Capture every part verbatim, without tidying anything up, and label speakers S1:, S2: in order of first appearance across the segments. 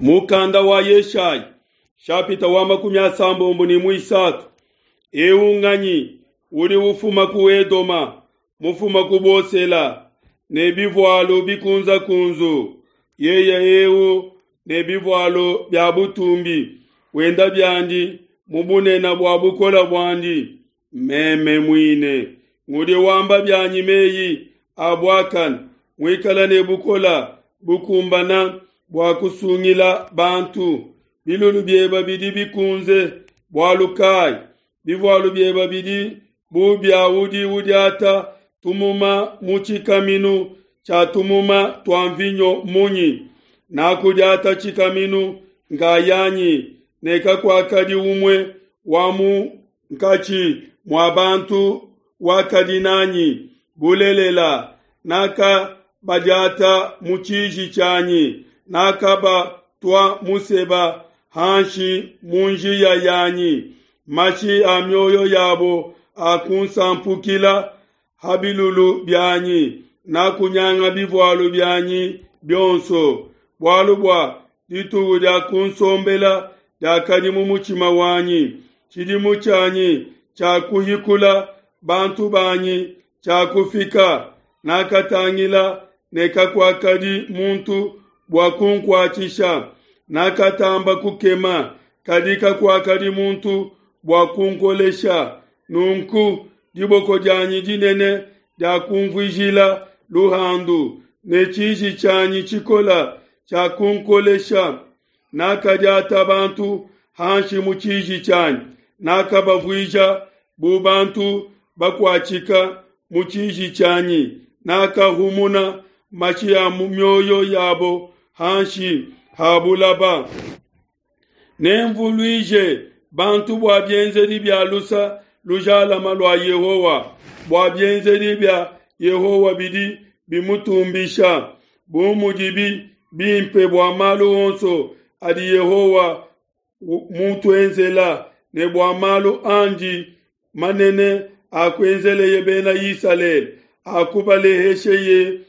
S1: Mukanda wa Yeshaya shapita wa makumi asambombo ne muisatu. Eu nganyi udi ufuma ku Edoma, mufuma ku Bosela ne bivualu bikunzakunzu? Yeye eu ne bivualu bia butumbi, wenda biandi mu bunene bua bukola buandi. Meme muine ngudi wamba bianyi meyi a buakane, muikala ne bukola bukumbana bua kusungila bantu. Bilulu bieba bidi bikunze bualu kayi? Bivualu bieba bidi bu bia udi udiata tumuma mu tshikaminu tshia tumuma tua mvinyo munyi? Nakudiata tshikaminu nkayanyi, ne kakuakadi umue wa munkatshi mua bantu wakadi nanyi. Bulelela, nakabadiata mu tshiji tshianyi, nakabatua museba hanshi mu njiya yanyi. Mashi a mioyo yabo akunsampukila ha bilulu bianyi, nakunyanga bivualu bianyi bionso. Bualu bua dituku dia kunsombela diakadi mu mutshima wanyi, tshidimu tshianyi tshia kuhikula bantu banyi tshiakufika. Nakatangila ne kakuakadi muntu bua kunkuatshisha, nakatamba kukema, kadi kakuakadi muntu bua kunkolesha. Nunku diboko dianyi dinene diakunvuijila luhandu, ne tshiji tshianyi tshikola tshiakunkolesha. Nakadiata bantu hanshi mu tshiji tshianyi, nakabavuija bu bantu bakuatshika mu tshiji tshianyi. Nakahumuna mashi a mu mioyo yabo hanshi ha bulaba. Nemvuluije bantu bua bienzedi bia lusa lujalama lua Yehowa, bua bienzedi bia Yehowa bidi bimutumbisha, bu mudibi bimpe bua malu onso adi Yehowa mutuenzela, ne bua malu andi manene akuenzeleye bena Isalele, akubalehesheye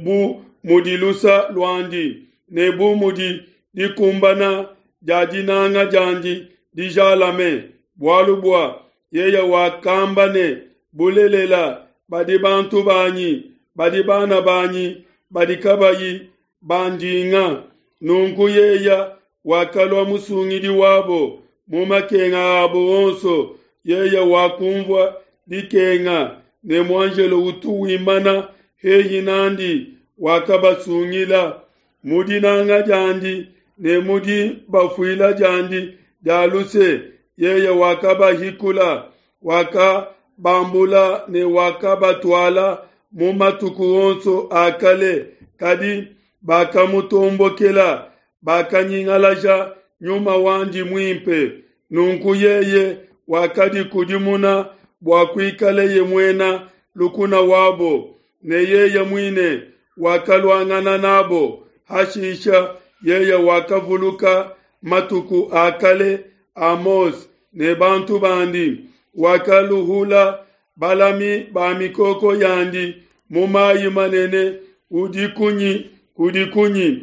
S1: bu mudi lusa luandi, ne bu mudi dikumbana dia dinanga diandi dijalame. Bualu bua yeye wakamba ne, bulelela badi bantu banyi, badi bana banyi, badi kabayi bandinga. Nunku yeye wakalua musungidi wabo mu makenga abo onso. Yeye wakumvua dikenga, ne muanjelo utu wimana hehi nandi wakabasungila. Mu dinanga diandi ne mu dibafuila diandi dia luse, yeye wakabahikula, wakabambula ne wakabatuala mu matuku onso a kale. Kadi bakamutombokela, bakanyingalaja nyuma wandi muimpe. Nunku yeye wakadikudimuna bua kuikaleye muena lukuna wabo, ne yeye muine wakaluangana nabo. Hashisha yeye wakavuluka matuku a kale a Mose ne bantu bandi, wakaluhula balami ba mikoko yandi mu mayi manene udi kunyi kudi kunyi.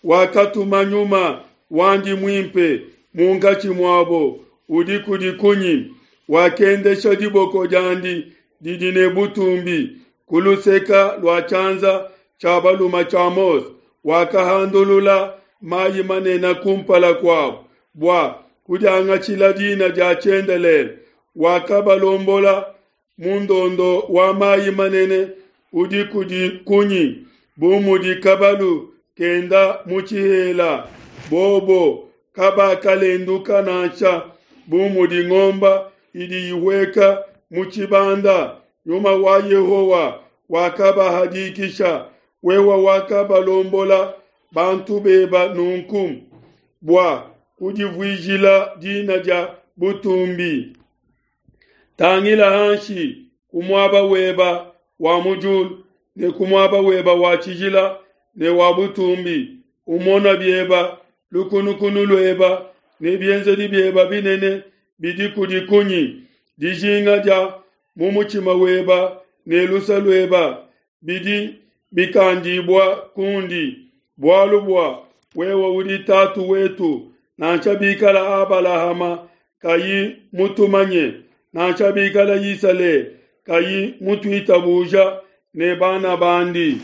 S1: Wakatuma nyuma wandi muimpe munkatshi muabo udi kudi kunyi. Wakendesha diboko diandi didi ne butumbi ku luseka lua tshianza tshia balume tshia Mose, wakahandulula mayi manene kumpala kuabo bua kudiangatshila dina dia tshiendelele. Wakabalombola mu ndondo wa mayi manene udi kudi kunyi, bu mudi kabalu kenda mu tshihela. Bobo kabakalenduka nansha, bu mudi ngomba idi ihueka mu tshibanda. Nyuma wa Yehowa wakabahadikisha, wewe wakabalombola bantu beba nunku bua kudivuijila dina dia butumbi. Tangila hanshi ku muaba weba wa mu diulu ne ku muaba weba wa tshijila ne wa butumbi, umona bieba lukunukunu lueba ne bienzedi bieba binene bidi kudi kunyi. Dijinga dia mu mutshima weba ne lusa lueba bidi bikandibua kundi, bualu bua Wewe udi tatu wetu, nansha bikala Abalahama kayi mutumanye, nansha bikala Isalele kayi mutuitabuja ne bana bandi.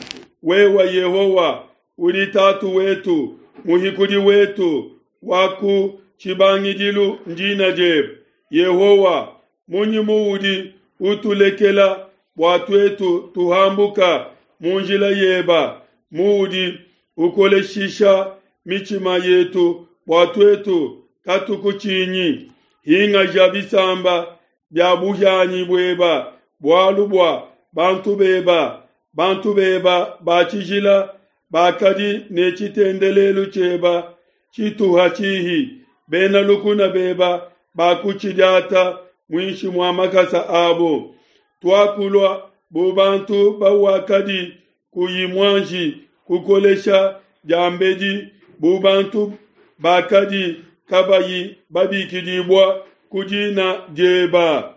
S1: Wewe Yehowa udi tatu wetu, muhikudi wetu wa ku tshibangidilu ndina diebe. Yehowa, munyi muudi utulekela bua tuetu tuhambuka mu njila yeba, muudi ukoleshisha mitshima yetu bua tuetu katukutshinyi? Hingaja bisamba bia buhianyi bueba bualu bua bantu beba, bantu beba ba tshijila bakadi ne tshitendelelu tshieba tshituha tshihi, bena lukuna beba bakutshidiata muinshi mua makasa abo. Tuakulua bu bantu bawakadi kuyi muanji kukolesha diambedi, bu bantu bakadi kabayi babikidibua ku dina dieba.